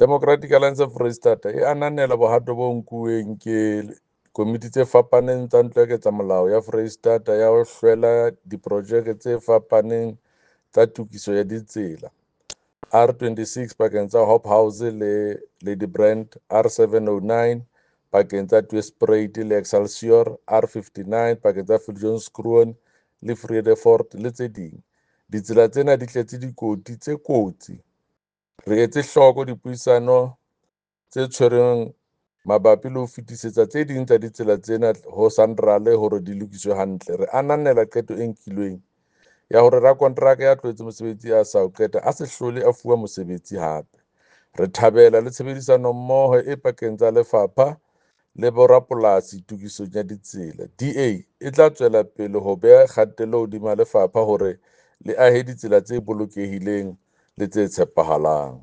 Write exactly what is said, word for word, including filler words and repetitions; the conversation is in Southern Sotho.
Democratic Alliance Foreisetata e ananela bohato bo nkuweng ke komiti tse fapaneng tsa Ntlo ya Ketsamolao ya Foreisetata ya ho hlwela diprojeke tse fapaneng tsa tokiso ya ditsela, R twenty-six pakeng tsa Hobhouse le Ladybrand, R seven oh nine pakeng tsa Tweespruit le Excelsior, R fifty-nine pakeng tsa Viljoenskroon le Vredefort le tse ding. Ditsela tsena di tletse dikoti tse kotsi. Re etse hloko dipuisano tse tshwerweng mabapi le ho fetisetsa tse ding tsa ditsela tsena ho SANRAL hore di lokiswe hantle. Re ananela qeto e nkilweng ya hore rakonteraka ya tlohetseng mosebetsi a sa o qeta a se hlole a fuwa mosebetsi hape. Re thabela le tshebedisanommoho e pakeng tsa lefapha le borapolasi tokisong ya ditsela. D A e tla tswela pele ho beha kgatello hodima lefapha hore le ahe ditsela tse bolokehileng le tse tshepahalang.